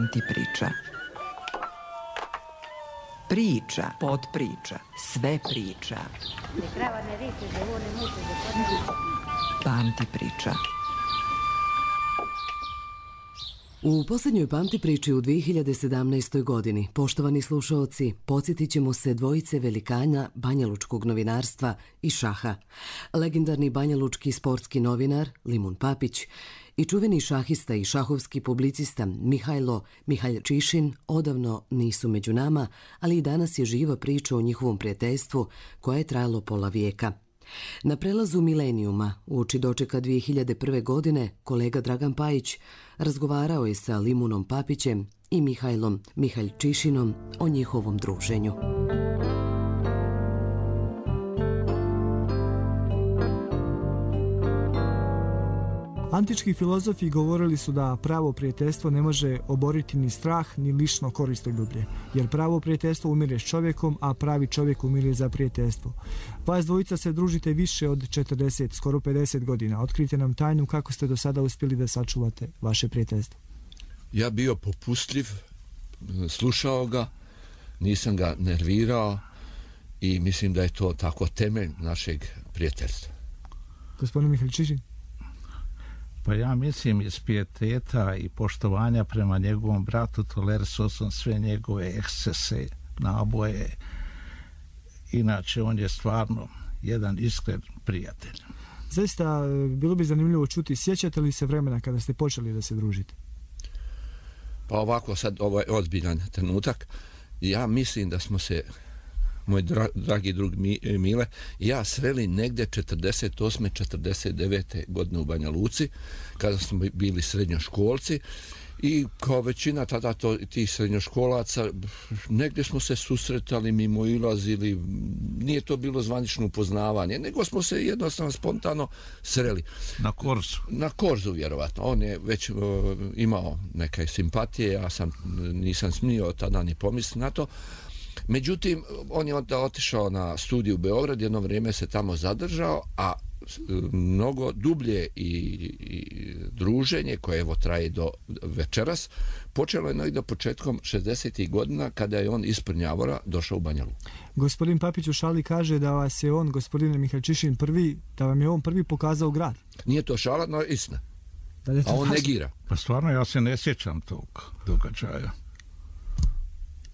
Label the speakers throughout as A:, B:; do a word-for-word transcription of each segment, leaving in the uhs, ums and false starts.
A: Panti priča. Priča, podpriča, sve priča. Panti priča.
B: U posljednjoj Panti priči u dvije hiljade sedamnaestoj. godini, poštovani slušaoci, podsjetit ćemo se dvojice velikana banjalučkog novinarstva i šaha. Legendarni banjalučki sportski novinar Limun Papić i čuveni šahista i šahovski publicista Mihajlo Mihaljčišin odavno nisu među nama, ali i danas je živa priča o njihovom prijateljstvu koje je trajalo pola vijeka. Na prelazu milenijuma, uoči dočeka dvije hiljade prve. godine, kolega Dragan Pajić razgovarao je sa Limunom Papićem i Mihajlom Mihaljčišinom o njihovom druženju.
C: Antički filozofi govorili su da pravo prijateljstvo ne može oboriti ni strah ni lično koristoljublje, jer pravo prijateljstvo umire s čovjekom, a pravi čovjek umire za prijateljstvo. Vas dvojica se družite više od četrdeset, skoro pedeset godina. Otkrite nam tajnu kako ste do sada uspjeli da sačuvate vaše prijateljstvo.
D: Ja bio popustljiv, slušao ga, nisam ga nervirao i mislim da je to tako temelj našeg prijateljstva.
C: Gospodin Mihaljčišin?
E: Pa ja mislim iz pijeteta i poštovanja prema njegovom bratu tolerisao sam sve njegove ekscese, naboje. Inače, on je stvarno jedan iskren prijatelj.
C: Zaista, bilo bi zanimljivo čuti, sjećate li se vremena kada ste počeli da se družite?
D: Pa ovako, sad ovo je ozbiljan trenutak. Ja mislim da smo se, moj dra, dragi drug Mile, ja sreli negde četrdeset osme četrdeset devete. godine u Banja Luci, kada smo bili srednjoškolci i kao većina tada to, tih srednjoškolaca, negdje smo se susretali, mimo ilazili, nije to bilo zvanično upoznavanje, nego smo se jednostavno spontano sreli.
E: Na Korzu?
D: Na Korzu, vjerovatno. On je već uh, imao neke simpatije, ja sam nisam smio tada ni pomisliti na to. Međutim, on je onda otišao na studiju u Beograd, jedno vrijeme se tamo zadržao, a mnogo dublje i, i druženje koje evo traje do večeras počelo je negdje početkom šezdesetih godina kada je on iz Prnjavora došao u Banja Luku.
C: Gospodin Papić u šali kaže da vas je on, gospodine Mihaljčišin, prvi, da vam je on prvi pokazao grad.
D: Nije to šala, no istina.
C: Da je to
D: a on
C: vaš...
D: negira.
E: Pa stvarno ja se ne sjećam tog događaja.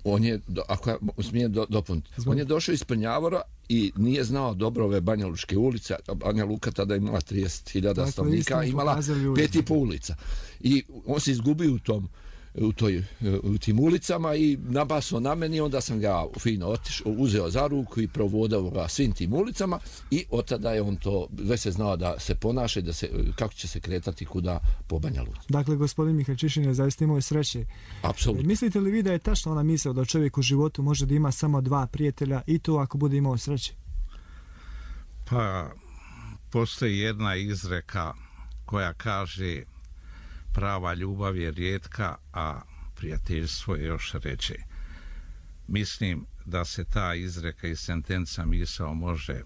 D: On je, ako ja smijem do, dopuniti, on je došao iz Prnjavora i nije znao dobro ove Banjalučke ulice. Banja Luka tada imala trideset hiljada stanovnika, imala pet i po ulica. I on se izgubio u tom, u, toj, u tim ulicama i nabasao na meni, onda sam ga fino otišao, uzeo za ruku i provodao ga svim tim ulicama i od tada je on to, već se znao da se ponaša, da se, kako će se kretati kuda po Banja Luci.
C: Dakle, gospodin Mihaljčišin je zaista imao sreće.
D: Apsolutno.
C: Mislite li vi da je tačno ona misao da čovjek u životu može da ima samo dva prijatelja i to ako bude imao sreće?
E: Pa, postoji jedna izreka koja kaže prava ljubav je rijetka, a prijateljstvo je još ređe. Mislim da se ta izreka i sentenca misao može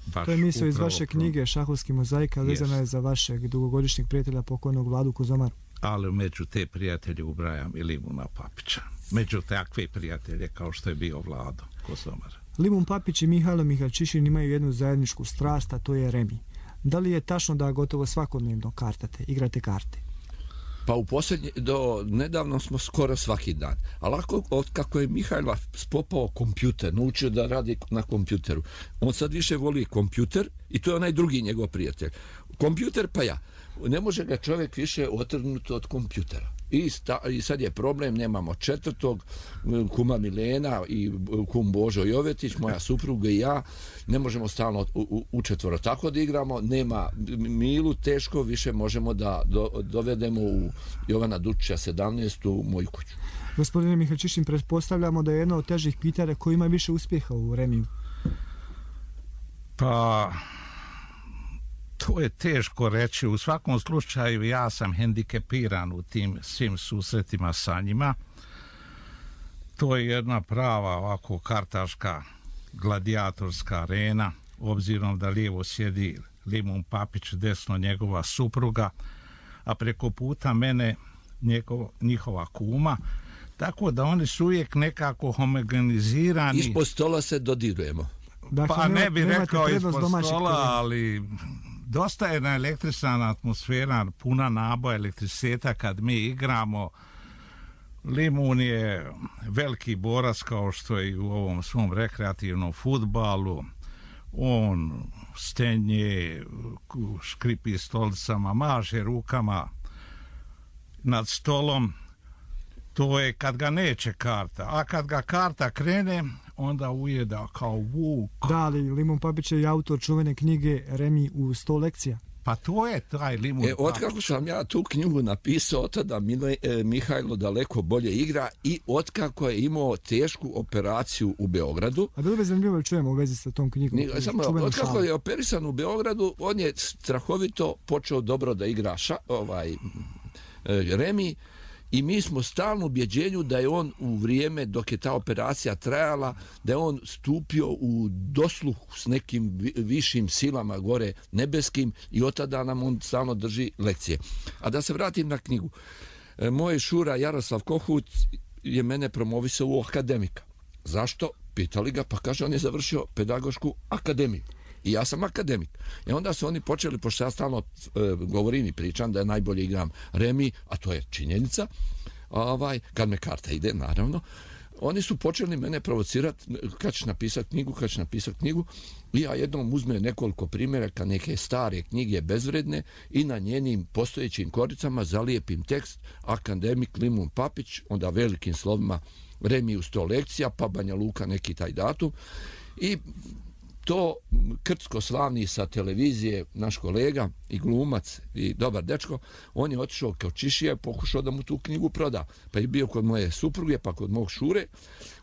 E: baš...
C: To je misao iz vaše knjige Šahovski mozaika, vezana je za vašeg dugogodišnjeg prijatelja pokojnog Vladu Kozomaru.
E: Ali među te prijatelje ubrajam i Limuna Papića. Među takve prijatelje kao što je bio Vlado Kozomar.
C: Limun Papić i Mihajlo Mihaljčišin imaju jednu zajedničku strast, a to je remi. Da li je tačno da gotovo svakodnevno kartate, igrate karte?
D: Pa u posljednje, do nedavno smo skoro svaki dan. Ali ako, od kako je Mihajla spopao kompjuter, naučio da radi na kompjuteru, on sad više voli kompjuter i to je onaj drugi njegov prijatelj. Kompjuter pa ja. Ne može ga čovjek više otrgnuti od kompjutera. I, sta, I sad je problem, nemamo četvrtog, kuma Milena i kum Božo Jovetić, moja supruga i ja, ne možemo stalno u, u, u četvoro tako da igramo, nema Milu, teško više možemo da do, dovedemo u Jovana Dučića sedamnaest u moju kuću.
C: Gospodine Mihaljčišin, pretpostavljamo da je jedno od težih pitanja koji ima više uspjeha u remiju.
E: Pa... To je teško reći. U svakom slučaju ja sam hendikepiran u tim svim susretima sa njima. To je jedna prava ovako kartaška gladijatorska arena, obzirom da lijevo sjedi Limun Papić, desno njegova supruga, a preko puta mene njegov, njihova kuma, tako da oni su uvijek nekako homogenizirani.
D: Ispod stola se dodirujemo.
C: Dakle,
E: Pa ne bi rekao ispod stola,
C: terena.
E: ali dosta je naelektrisana atmosfera, puna naboja elektriciteta kad mi igramo. Limun je veliki borac kao što je i u ovom svom rekreativnom fudbalu. On stenje, škripi stolicama, maže rukama nad stolom. To je kad ga neće karta, a kad ga karta krene, onda ujeda kao vuk.
C: Da, ali Limun Papić je autor čuvene knjige Remi u sto lekcija.
E: Pa to je taj Limun
D: E, otkako sam ja tu knjigu napisao, tada Mile, e, Mihajlo daleko bolje igra i otkako je imao tešku operaciju u Beogradu.
C: A bilo bi zanimljivo da čujemo u vezi sa tom knjigom.
D: Ni, samo, otkako je operisan u Beogradu, on je strahovito počeo dobro da igra ša, ovaj, e, Remi. I mi smo stalno u ubjeđenju da je on u vrijeme dok je ta operacija trajala, da je on stupio u dosluh s nekim višim silama gore nebeskim i od tada nam on stalno drži lekcije. A da se vratim na knjigu. Moj šura Jaroslav Kohut je mene promovisao u akademika. Zašto? Pitali ga, pa kaže on je završio pedagošku akademiju. I ja sam akademik. I onda su oni počeli, pošto ja stalno e, govorim i pričam da je najbolje igram Remi, a to je činjenica, ovaj, kad me karta ide, naravno, oni su počeli mene provocirati kad ćeš napisati knjigu, kad ćeš napisati knjigu, i ja jednom uzmem nekoliko primjeraka, neke stare knjige bezvredne i na njenim postojećim koricama zalijepim tekst akademik Limun Papić, onda velikim slovima Remi u sto lekcija, pa Banja Luka neki taj datum, i to Krcko slavni sa televizije, naš kolega i glumac i dobar dečko, on je otišao kao Čišija i pokušao da mu tu knjigu proda. Pa je bio kod moje supruge, pa kod mog šure.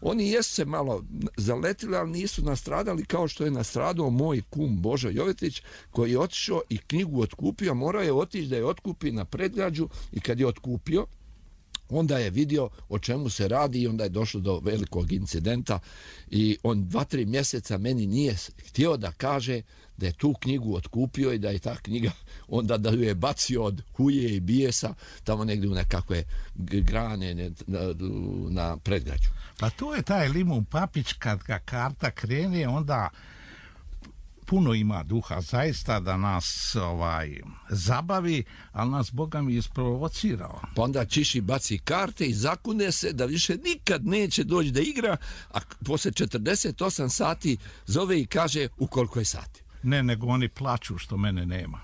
D: Oni jesu se malo zaletili, ali nisu nastradali kao što je nastradao moj kum Božo Jovetić, koji je otišao i knjigu otkupio, morao je otići da je otkupi na predgrađu, i kad je otkupio, onda je vidio o čemu se radi i onda je došlo do velikog incidenta i on dva, tri mjeseca meni nije htio da kaže da je tu knjigu otkupio i da je ta knjiga onda da ju je bacio od huje i bijesa tamo negdje u nekakve grane na, na predgrađu.
E: Pa to je taj Limun Papić, kad ga karta krene, onda puno ima duha zaista da nas ovaj zabavi, ali nas Boga mi isprovocirao.
D: Pa onda Čiši baci karte i zakune se da više nikad neće doći da igra, a posle četrdeset osam sati zove i kaže u koliko je sati.
E: Ne, nego oni plaču što mene nema.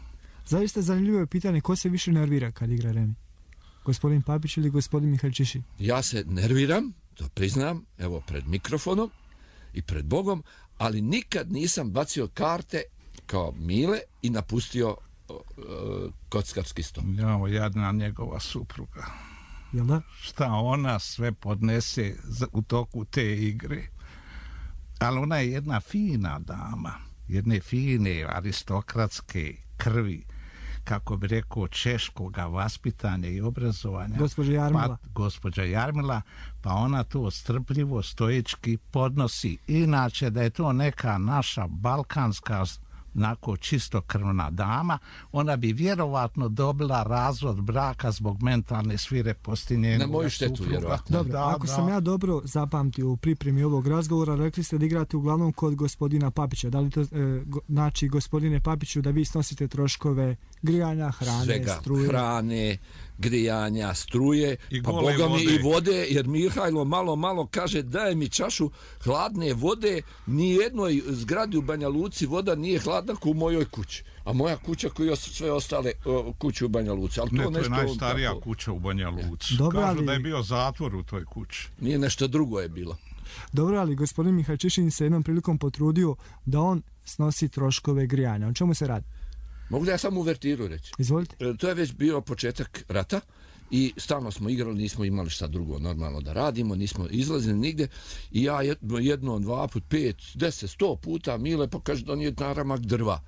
C: Zaista zanimljivo je pitanje ko se više nervira kad igra Remi? Gospodin Papić ili gospodin Mihail Čiši?
D: Ja se nerviram, to priznam, evo pred mikrofonom i pred Bogom, ali nikad nisam bacio karte kao Mile i napustio uh, kockarski stol.
E: Jao, jadna njegova supruga.
C: Jel da?
E: Šta ona sve podnese u toku te igre. Ali ona je jedna fina dama, jedne fine aristokratske krvi, kako bi rekao, češkoga vaspitanja i obrazovanja.
C: Gospođa Jarmila.
E: Pa, gospođa Jarmila, pa ona to strpljivo, stoički podnosi. Inače, da je to neka naša balkanska, nako čistokrvna dama, ona bi vjerovatno dobila razvod braka zbog mentalne svireposti njenog.
D: Na moju štetu,
E: supruga.
D: vjerovatno.
C: Dobro,
E: da,
C: ako
E: da.
C: sam ja dobro zapamtio u pripremi ovog razgovora, rekli ste da igrate uglavnom kod gospodina Papića. Da li to e, go, znači, gospodine Papiću, da vi snosite troškove grijanja, hrane,
D: svega,
C: struje?
D: hrane, grijanja, struje,
E: I
D: pa
E: gole
D: Boga mi
E: vode.
D: i vode, jer Mihajlo malo, malo kaže daj mi čašu hladne vode, nijednoj zgradi u Banja Luci voda nije hladna kao u mojoj kući. A moja kuća koji je sve ostale o, kuće u Banja Luci. Ali to,
E: Ne, to
D: nešto
E: je najstarija
D: tako,
E: kuća u Banja Luci.
C: Dobro,
E: Kažu
C: ali-
E: da je bio zatvor u toj kući.
D: nije nešto drugo je bilo.
C: Dobro, ali gospodin Mihail Čišin se jednom prilikom potrudio da on snosi troškove grijanja. O čemu se radi?
D: Mogu da ja samo uvertiru reći?
C: Izvolite.
D: E, To je već bio početak rata i stalno smo igrali, nismo imali šta drugo normalno da radimo, nismo izlazili nigde i ja jedno, jedno dva put, pet, deset, sto puta Mile pa kaže da nije naramak drva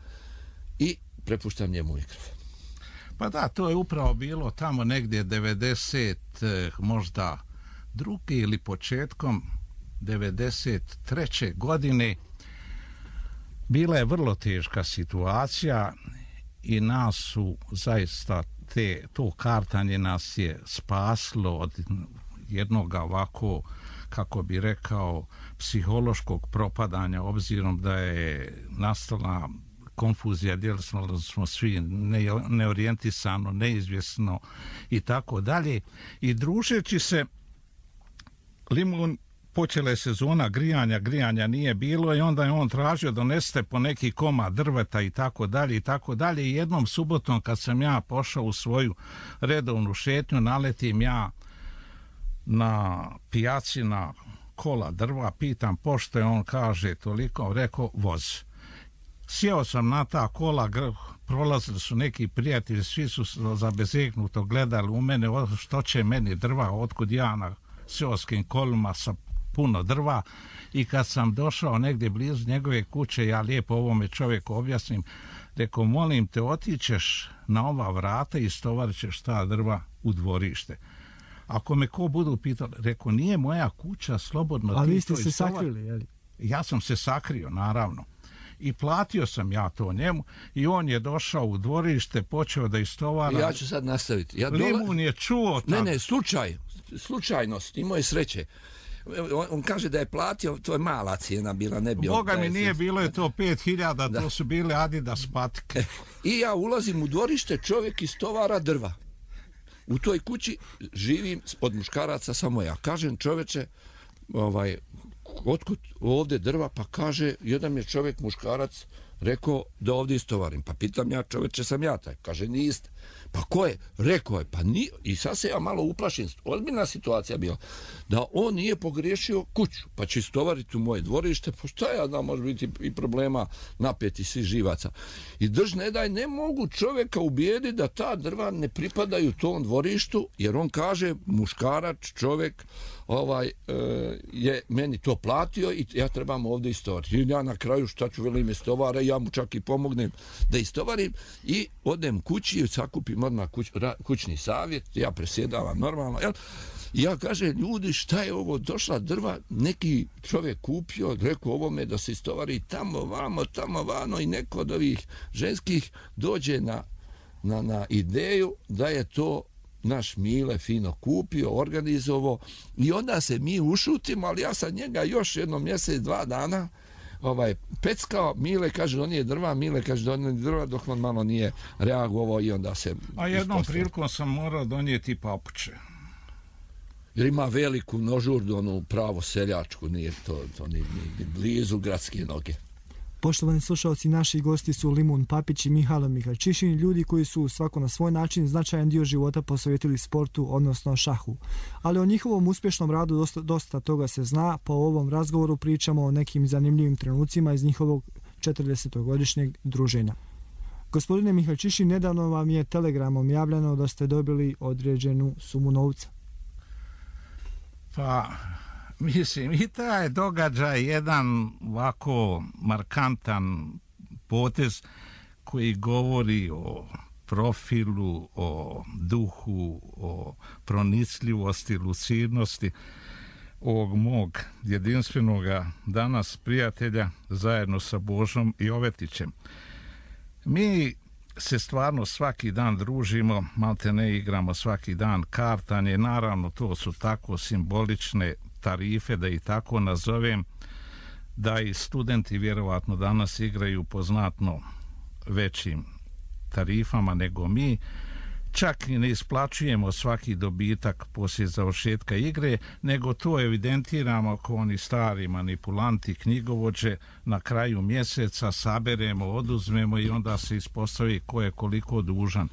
D: i prepuštam njemu mikrofon.
E: Pa da, to je upravo bilo tamo negdje devedeset, eh, možda drugi ili početkom devedeset treće godine. Bila je vrlo teška situacija i nas su zaista te, to kartanje nas je spaslo od jednog ovako, kako bi rekao, psihološkog propadanja, obzirom da je nastala konfuzija, djeli smo, smo svi ne, neorijentisano, neizvjesno i tako dalje. I družeći se, Limun, počela je sezona grijanja, grijanja nije bilo i onda je on tražio donesete po neki komad drveta i tako dalje i tako dalje. I jednom subotom kad sam ja pošao u svoju redovnu šetnju, naletim ja na pijaci na kola drva, pitam pošto je, on kaže toliko, rekao voz. Sjeo sam na ta kola, prolazili su neki prijatelji, svi su zabezeknuto gledali u mene, što će meni drva, otkud ja na seoskim kolima sa puno drva. I kad sam došao negdje blizu njegove kuće, ja lijepo ovome čovjeku objasnim, rekao, molim te, otićeš na ova vrata i stovarit ćeš ta drva u dvorište. Ako me ko budu pitali, rekao, nije moja kuća, slobodno.
C: Ali vi ste se sakrili, jeli?
E: Ja sam se sakrio, naravno. I platio sam ja to njemu i on je došao u dvorište, počeo da istovara.
D: Ja ću sad nastaviti. Ja
E: dola... Limun je čuo...
D: Ne, ne, slučaj, slučajnost, imao je sreće. On, on kaže da je platio, to je mala cijena bila, ne bi...
E: Boga mi nije, bilo je to pet hiljada, to su bile Adidas patike.
D: I ja ulazim u dvorište, čovjek istovara drva. U toj kući živim od muškaraca samo ja. Kažem, čoveče, ovaj, otkud ovdje drva? Pa kaže, jedan je čovjek muškarac rekao da ovdje istovarim. Pa pitam ja, čoveče, sam ja taj. Kaže, niste. Pa ko je? Rekao je, pa nije. I sad se ja malo uplašim. Ozbiljna situacija bila. Da on nije pogriješio kuću, pa će istovariti u moje dvorište. Pa šta ja znam, može biti i problema napeti svi živaca. I drž ne daj, ne mogu čovjeka ubijedi da ta drva ne pripadaju tom dvorištu, jer on kaže, muškarac, čovjek, ovaj, e, je meni to platio i ja trebam ovdje istovariti. I ja na kraju šta ću velim istovara, ja mu čak i pomognem da istovarim i odem kući i sakupim odmah kuć, ra, kućni savjet, ja presjedavam normalno, jel? I ja kažem, ljudi, šta je ovo, došla drva, neki čovjek kupio, rekao ovome da se istovari tamo, vamo, tamo, vano i neko od ovih ženskih dođe na, na, na ideju da je to naš Mile fino kupio, organizovao i onda se mi ušutimo, ali ja sam njega još jedno mjesec, dva dana ovaj, peckao, Mile kaže on je drva, Mile kaže on je drva, dok on malo nije reagovao i onda se...
E: A jednom ispostavio. Prilikom sam morao donijeti papuče.
D: Jer ima veliku nožurdu, onu pravo seljačku, nije to, to ni, ni, ni blizu gradske noge.
C: Poštovani slušalci, naši gosti su Limun Papić i Mihajlo Mihalčišin, ljudi koji su svako na svoj način značajan dio života posvetili sportu, odnosno šahu. Ali o njihovom uspješnom radu dosta, dosta toga se zna, pa u ovom razgovoru pričamo o nekim zanimljivim trenucima iz njihovog četrdesetogodišnjeg druženja. Gospodine Mihalčišin, nedavno vam je telegramom javljeno da ste dobili određenu sumu novca.
E: Pa... Mislim, i taj događaj jedan ovako markantan potez koji govori o profilu, o duhu, o pronicljivosti, lucidnosti ovog mog jedinstvenog danas prijatelja zajedno sa Božom Jovetićem. Mi se stvarno svaki dan družimo, malte ne igramo svaki dan kartanje, naravno to su tako simbolične tarife, da i tako nazovem, da i studenti vjerovatno danas igraju po znatno većim tarifama nego mi. Čak i ne isplaćujemo svaki dobitak poslije završetka igre, nego to evidentiramo kao oni stari manipulanti, knjigovođe, na kraju mjeseca saberemo, oduzmemo i onda se ispostavi ko je koliko dužan.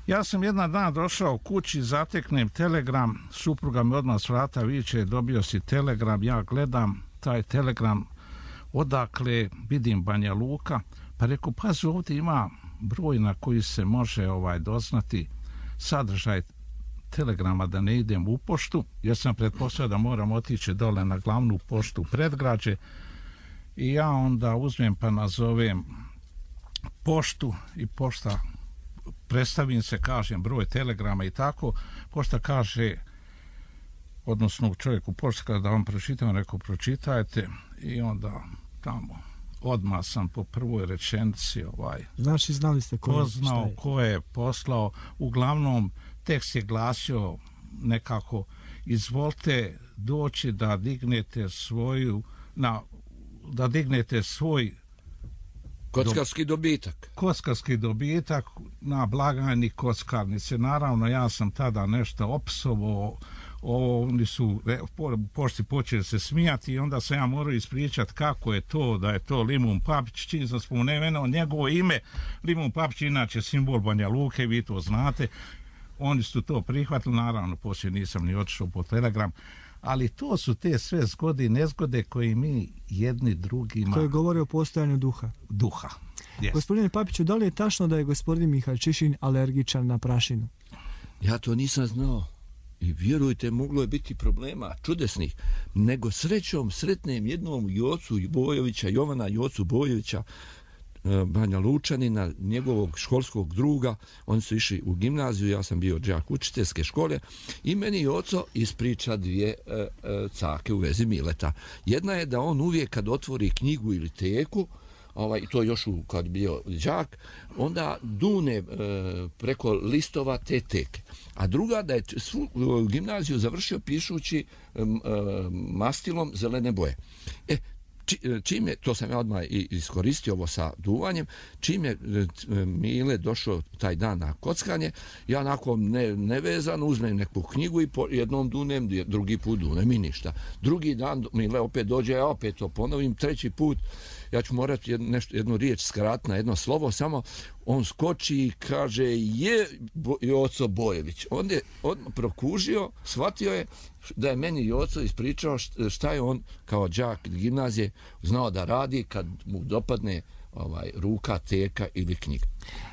E: Ja sam jedan dan došao kući, zateknem telegram, supruga mi odmah s vrata viče, dobio si telegram, ja gledam taj telegram, odakle, vidim Banja Luka, pa reku, pazi, ovdje ima broj na koji se može ovaj doznati sadržaj telegrama, da ne idem u poštu, jer sam pretpostavio da moram otići dole na glavnu poštu Predgrađe i ja onda uzmem pa nazovem poštu i pošta, predstavim se, kažem broj telegrama i tako, pošta kaže, odnosno čovjeku pošta kada vam pročitam, rekao pročitajte i onda tamo odmah sam po prvoj rečenici ovaj,
C: znači znali ste ko,
E: poznao
C: je.
E: ko je poslao. Uglavnom tekst je glasio nekako: izvolite doći da dignete svoju na, da dignete svoj
D: kockarski dobitak.
E: Kockarski dobitak na blagajni kockarnice. Naravno, ja sam tada nešto opsovao, ovo, oni su po, pošti počeli se smijati i onda sam ja morao ispričati kako je to, da je to Limun Papić, čim sam spomenuo njegovo ime. Limun Papić inače simbol Banja Luke, vi to znate. Oni su to prihvatili, naravno, poslije nisam ni otišao po telegram, ali to su te sve zgode i nezgode koje mi jedni drugima...
C: Koje govori o postojanju duha.
E: Duha, yes.
C: Gospodine Papiću, da li je tačno da je gospodin Mihaljčišin alergičan na prašinu?
D: Ja to nisam znao. I vjerujte, moglo je biti problema čudesnih. Nego srećom sretnem jednom Jocu Bojovića, Jovana Jocu Bojovića, Banja Lučanina, njegovog školskog druga. Oni su išli u gimnaziju, ja sam bio đak učiteljske škole i meni Joco ispriča dvije e, e, cake u vezi Mileta. Jedna je da on uvijek kad otvori knjigu ili teku, ovaj, to još u, kad bio đak, onda dune e, preko listova te teke. A druga da je svu gimnaziju završio pišući e, mastilom zelene boje. E, čim je, to sam ja odmah iskoristio ovo sa duvanjem, čim je Mile došao taj dan na kockanje, ja onako ne, nevezano uzmem neku knjigu i po jednom dunem, drugi put dunem i ništa. Drugi dan Mile opet dođe, ja opet to ponovim, treći put ja ću morati jednu, nešto, jednu riječ skratiti na jedno slovo, samo on skoči i kaže je Joco Bojević. On je odmah prokužio, shvatio je da je meni Joco ispričao šta je on kao đak gimnazije znao da radi kad mu dopadne ovaj, ruka, teka ili knjiga.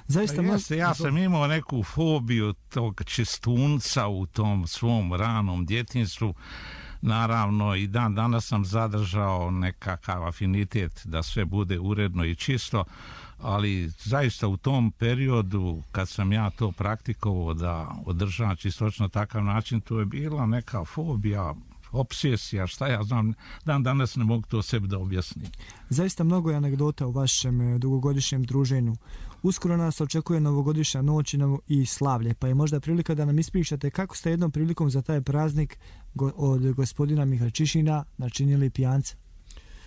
C: Zaista,
E: ja, se, ja sam imao neku fobiju tog čistunca u tom svom ranom djetinjstvu. Naravno, i dan danas sam zadržao nekakav afinitet da sve bude uredno i čisto, ali zaista u tom periodu kad sam ja to praktikovao da održavam čistoću na takav način, to je bila neka fobija, obsesija, šta ja znam, dan danas ne mogu to sebi da objasnim.
C: Zaista mnogo je anegdota u vašem dugogodišnjem druženju. Uskoro nas očekuje novogodišnja noć i slavlje, pa je možda prilika da nam ispričate kako ste jednom prilikom za taj praznik od gospodina Mihaljčišina načinili pijanca.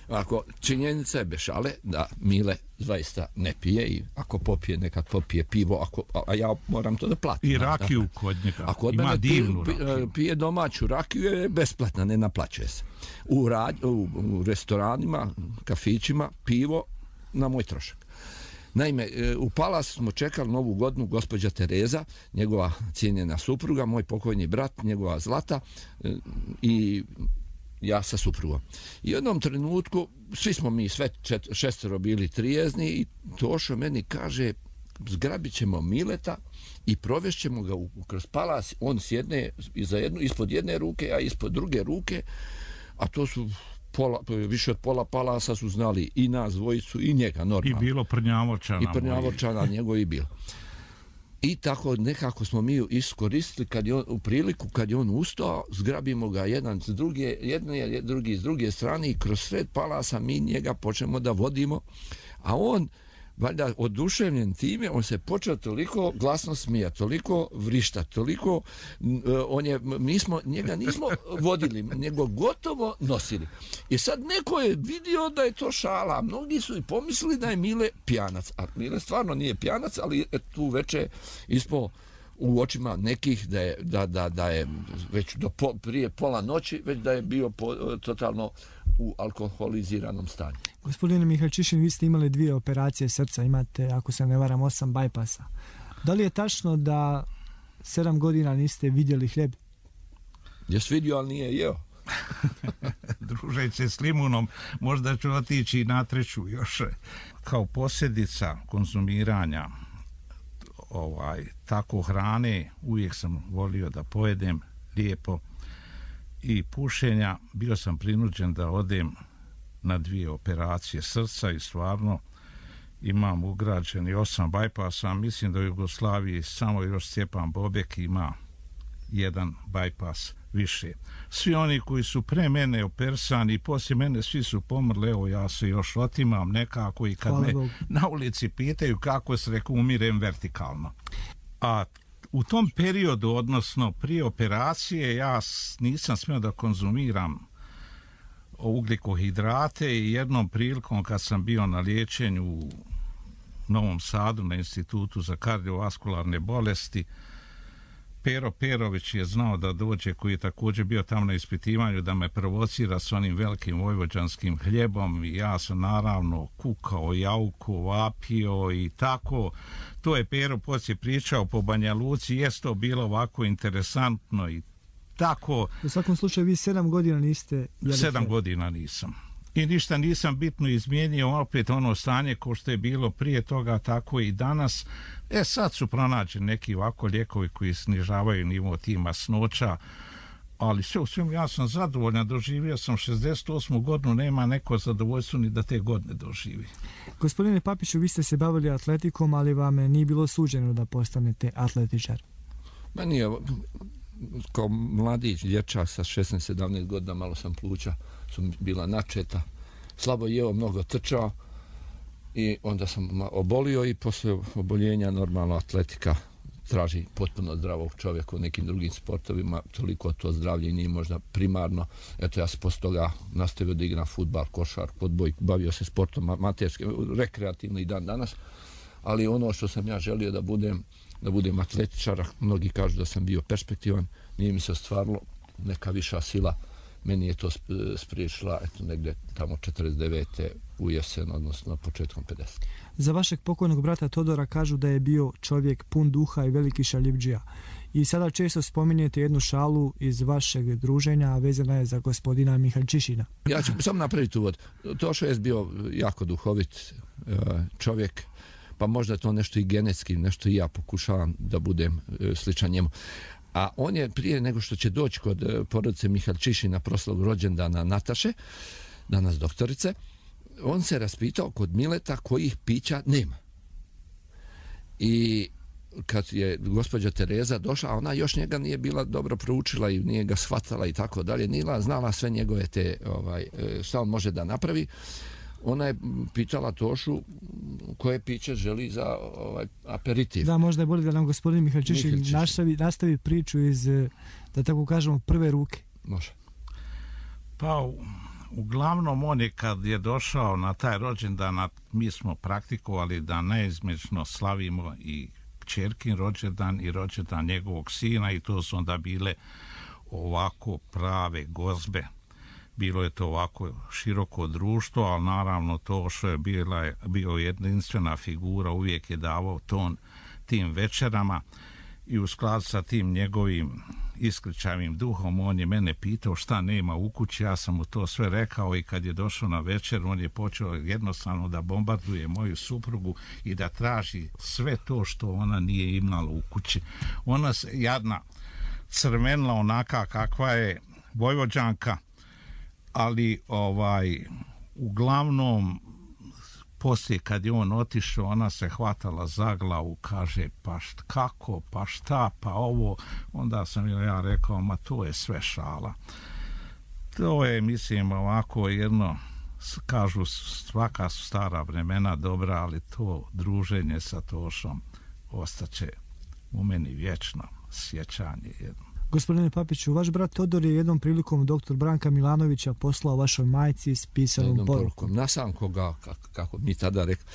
D: Ako činjenica je bez šale da Mile zaista ne pije i ako popije nekad popije pivo, ako, a ja moram to da platim.
E: I rakiju kod njega,
D: ako od
E: ima divnu
D: pije,
E: rakiju.
D: Pije domaću rakiju je besplatna, ne naplaćuje se. U, rad, u, u restoranima, kafićima, pivo na moj trošak. Naime, u Palasu smo čekali novu godinu gospođa Tereza, njegova cijenjena supruga, moj pokojni brat, njegova Zlata i ja sa suprugom. I u jednom trenutku, svi smo mi sve čet, šestero bili trijezni i Tošo meni kaže, zgrabit ćemo Mileta i provešćemo ga u, kroz Palas, on sjedne iza jednu, ispod jedne ruke, a ispod druge ruke, a to su pola, više od pola Palasa su znali i nas dvojicu i njega normalno.
E: I bilo Prnjavorčana.
D: I Prnjavorčana njegov i bilo. I tako nekako smo mi iskoristili kad je on, u priliku kad je on ustao, zgrabimo ga jedan s druge, jedne, drugi s druge strane i kroz sred Palasa mi njega počnemo da vodimo, a on valjda oduševljen time, on se počeo toliko glasno smijati, toliko vrišta, toliko, on je, mi smo, njega nismo vodili, nego gotovo nosili. I sad neko je vidio da je to šala, a mnogi su i pomislili da je Mile pijanac, a Mile stvarno nije pijanac, ali tu veče ispo u očima nekih da je, da, da, da je već do po, prije pola noći, već da je bio po, totalno u alkoholiziranom stanju.
C: Gospodine Mihaljčišin, vi ste imali dvije operacije srca, imate, ako se ne varam, osam bajpasa. Da li je tačno da sedam godina niste vidjeli hljeb?
D: Jes vidio, ali nije jeo.
E: Družeći se s Limunom, možda ću otići na treću još. Kao posljedica konzumiranja ovaj, tako hrane, uvijek sam volio da pojedem lijepo i pušenja, bio sam prinuđen da odem na dvije operacije srca i stvarno imam ugrađeni osam bajpasa. Mislim da u Jugoslaviji samo još Stjepan Bobek ima jedan bajpas više. Svi oni koji su pre mene opersani i poslije mene svi su pomrli, evo ja se još otimam nekako i kad
C: Hvala
E: me
C: Bogu.
E: na ulici pitaju kako se rekao umirem vertikalno. A u tom periodu, odnosno prije operacije, ja nisam smio da konzumiram ugljikohidrate i jednom prilikom kad sam bio na liječenju u Novom Sadu na Institutu za kardiovaskularne bolesti, Pero Perović je znao da dođe, koji je također bio tamo na ispitivanju, da me provocira s onim velikim vojvođanskim hljebom i ja sam naravno kukao, jauko, vapio i tako. To je Pero poslije pričao po Banja Luci, jest to bilo ovako interesantno i tako.
C: U svakom slučaju vi sedam godina niste...
E: Sedam godina nisam. I ništa nisam bitno izmijenio, opet ono stanje ko što je bilo prije toga, tako i danas. E sad su pronađeni neki ovako lijekovi koji snižavaju nivo tih masnoća, ali sve u svemu ja sam zadovoljan, doživio sam šezdeset osmu godinu, nema neko zadovoljstvo ni da te godine doživi.
C: Gospodine Papiću, vi ste se bavili atletikom, ali vam nije bilo suđeno da postanete atletičar.
D: Meni je, kao mladić, dječak sa šesnaest sedamnaest godina, malo sam pluća, su bila načeta, slabo jeo, mnogo trčao i onda sam obolio i posle oboljenja normalno atletika traži potpuno zdravog čovjeka u nekim drugim sportovima, toliko to zdravlje nije možda primarno. Eto, ja sam posle toga nastavio da igram fudbal, košar, odboj, bavio se sportom amaterski, rekreativno i dan danas, ali ono što sam ja želio da budem, da budem atletičar, mnogi kažu da sam bio perspektivan, nije mi se ostvarilo, neka viša sila meni je to spriječila, eto, negdje tamo četrdeset devete u jesen, odnosno početkom pedesetih.
C: Za vašeg pokojnog brata Todora kažu da je bio čovjek pun duha i veliki šaljivdžija. I sada često spominjete jednu šalu iz vašeg druženja, a vezana je za gospodina Mihaljčišina.
D: Ja ću samo napraviti uvod. Tošo je bio jako duhovit čovjek, pa možda to nešto i genetski, nešto i ja pokušavam da budem sličan njemu. A on je prije nego što će doći kod porodice Mihaljčišina proslavu rođendana Nataše, danas doktorice, on se raspitao kod Mileta kojih pića nema. I kad je gospođa Tereza došla, ona još njega nije bila dobro proučila i nije ga shvatala i tako dalje, nije znala sve njegove te, ovaj, šta on može da napravi. Ona je pitala Tošu koje piće želi za ovaj aperitiv.
C: Da, možda je bolje da nam gospodin Mihaljčišin nastavi, nastavi priču iz, da tako kažemo, prve ruke.
D: Može.
E: Pa, uglavnom on je kad je došao na taj rođendan, mi smo praktikovali da neizmječno slavimo i kćerkin rođendan i rođendan njegovog sina i to su onda bile ovako prave gozbe. Bilo je to ovako široko društvo, ali naravno to što je bila, bio jedinstvena figura, uvijek je davao ton tim večerama i u skladu sa tim njegovim iskričavim duhom on je mene pitao šta nema u kući, ja sam mu to sve rekao i kad je došao na večer on je počeo jednostavno da bombarduje moju suprugu i da traži sve to što ona nije imala u kući. Ona se jadna crvenila onaka kakva je Vojvođanka, ali ovaj uglavnom poslije kad je on otišao ona se hvatala za glavu, kaže pa št, kako, pa šta, pa ovo, onda sam ja rekao ma to je sve šala. To je mislim ovako jedno, kažu svaka su stara vremena dobra, ali to druženje sa Tošom ostaće u meni vječno sjećanje jedno.
C: Gospodine Papiću, vaš brat Todor je jednom prilikom doktor Branka Milanovića poslao vašoj majci s pisanom porukom. porukom.
D: Nasam koga, kako, kako mi tada rekli.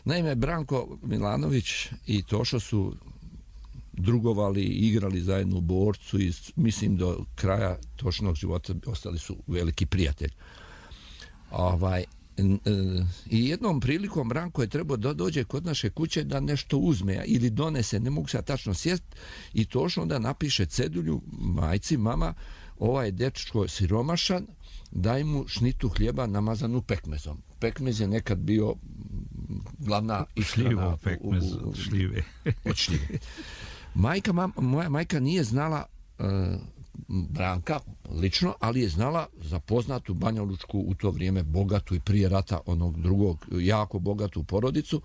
D: Naime, Branko Milanović i Tošo su drugovali i igrali zajedno u Borcu i mislim do kraja Tošinog života ostali su veliki prijatelji. Ovaj, i jednom prilikom Branko je trebao da dođe kod naše kuće da nešto uzme ili donese, ne mogu se tačno sjest, i Tošo onda napiše cedulju majci, mama, ovaj dečko siromašan, daj mu šnitu hljeba namazanu pekmezom. Pekmez je nekad bio glavna ishrana
E: pekmez od šljive.
D: Od šljive. Majka, mam, moja majka nije znala uh, Branka lično, ali je znala za poznatu banjalučku u to vrijeme bogatu i prije rata onog drugog jako bogatu porodicu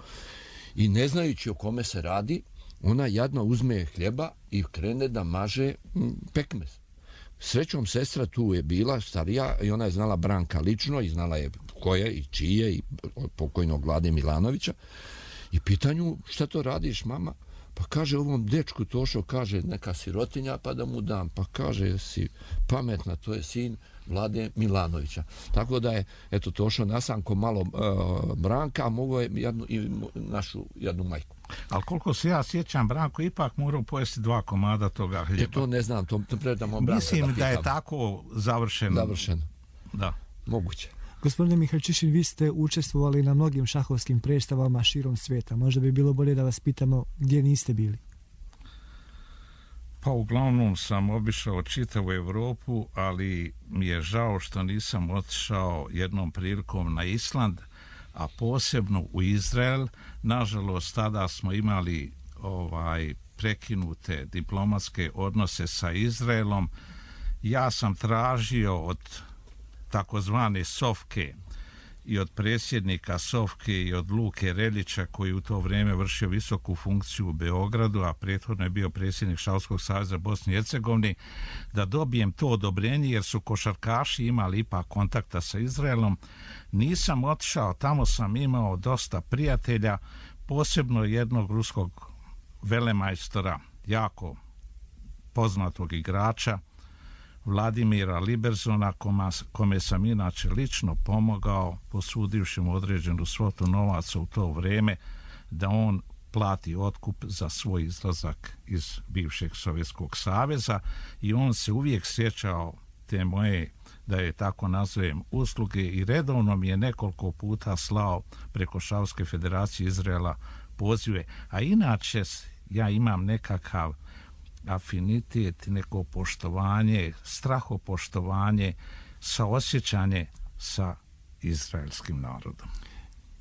D: i ne znajući o kome se radi, ona jadno uzme hljeba i krene da maže pekmez. Srećom, sestra tu je bila, starija, i ona je znala Branka lično i znala je ko je i čije i pokojnog Vlade Milanovića. I pitanju, šta to radiš, mama? Pa kaže ovom dečku Tošo, kaže neka sirotinja pa da mu dam. Pa kaže si pametna, to je sin Vlade Milanovića. Tako da je, eto, Tošo nasanko malo uh, Branka, a mogo je jednu, i našu jednu majku.
E: Ali koliko se ja sjećam, Branko ipak morao pojesti dva komada toga hljeba.
D: Je to ne znam, to, to predamo Branka.
E: Mislim
D: da,
E: da je tako završeno.
D: Završeno.
E: Da. Moguće.
C: Gospodine Mihaljčišin, vi ste učestvovali na mnogim šahovskim predstavama širom svijeta. Možda bi bilo bolje da vas pitamo gdje niste bili.
E: Pa uglavnom sam obišao čitavu Evropu, ali mi je žao što nisam otišao jednom prilikom na Island, a posebno u Izrael. Nažalost, tada smo imali ovaj prekinute diplomatske odnose sa Izraelom. Ja sam tražio od takozvane Sofke i od predsjednika Sofke i od Luke Relića, koji u to vrijeme vršio visoku funkciju u Beogradu, a prethodno je bio predsjednik Šahovskog saveza Bosne i Hercegovine, da dobijem to odobrenje, jer su košarkaši imali ipak kontakta sa Izraelom. Nisam otišao, tamo sam imao dosta prijatelja, posebno jednog ruskog velemajstora, jako poznatog igrača, Vladimira Liberzona, koma, kome sam inače lično pomogao, posudivši mu određenu svotu novaca u to vrijeme, da on plati otkup za svoj izlazak iz bivšeg Sovjetskog saveza, i on se uvijek sjećao te moje, da je tako nazovem, usluge, i redovno mi je nekoliko puta slao preko Šahovske federacije Izraela pozive. A inače ja imam nekakav afinitet, neko poštovanje, strahopoštovanje, saosjećanje sa izraelskim narodom.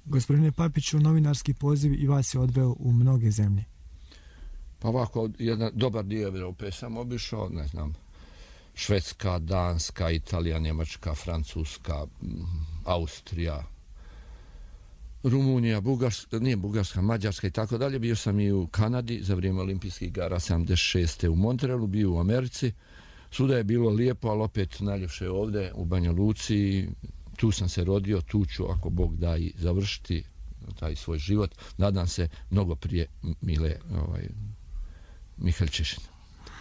C: Gospodine Papiću, novinarski poziv i vas je odveo u mnoge zemlje.
D: Pa ovako, jedan dobar dio Evrope sam obišao, ne znam, Švedska, Danska, Italija, Njemačka, Francuska, Austrija, Rumunija, Bugarska, nije Bugarska, Mađarska i tako dalje. Bio sam i u Kanadi za vrijeme olimpijskih igara sedamdeset šeste u Montrealu, bio u Americi. Svuda je bilo lijepo, ali opet najljepše ovdje u Banja Luci. Tu sam se rodio, tu ću, ako Bog da, i završiti taj svoj život. Nadam se mnogo prije Mile ovaj, Mihaljčišin.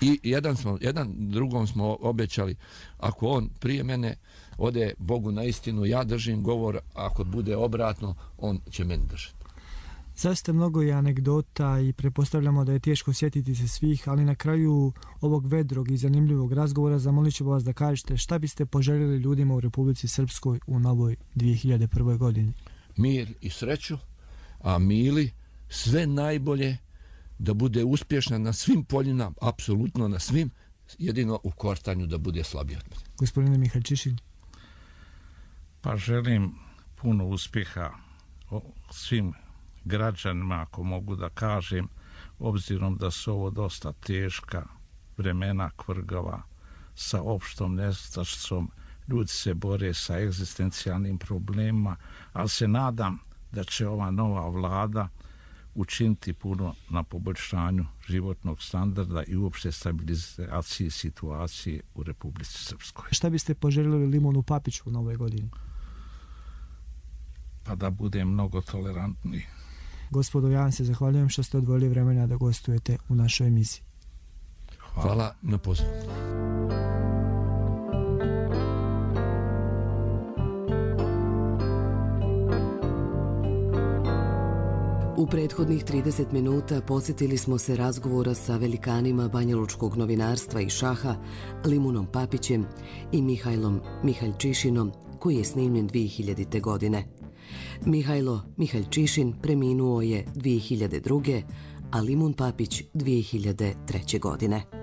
D: I jedan, smo, jedan drugom smo obećali, ako on prije mene ode Bogu na istinu, ja držim govor, ako bude obratno, on će meni držati.
C: Zaista mnogo je anegdota i prepostavljamo da je teško sjetiti se svih, ali na kraju ovog vedrog i zanimljivog razgovora zamolit ću vas da kažete šta biste poželjeli ljudima u Republici Srpskoj u novoj dvije hiljade prve. godini.
D: Mir i sreću, a Mili sve najbolje, da bude uspješna na svim poljima, apsolutno na svim, jedino u kortanju da bude slabiji od mene.
C: Gospodine Mihaljčišin.
E: Pa želim puno uspjeha svim građanima, ako mogu da kažem, obzirom da su ovo dosta teška vremena, kvrgava, sa opštom nestašicom, ljudi se bore sa egzistencijalnim problemima, ali se nadam da će ova nova vlada učiniti puno na poboljšanju životnog standarda i uopšte stabilizaciji situacije u Republici Srpskoj.
C: Šta biste poželjeli Limunu Papiću u novoj godini?
E: Pa da bude mnogo tolerantniji.
C: Gospodo, ja vam se zahvaljujem što ste odvojili vremena da gostujete u našoj emisiji.
D: Hvala, Hvala na pozivu.
B: U prethodnih trideset minuta podsjetili smo se razgovora sa velikanima banjalučkog novinarstva i šaha, Limunom Papićem i Mihajlom Mihaljčišinom, koji je snimljen dvije hiljadite. godine. Mihajlo Mihaljčišin preminuo je dvije hiljade druge. a Limun Papić dvije hiljade treće. godine.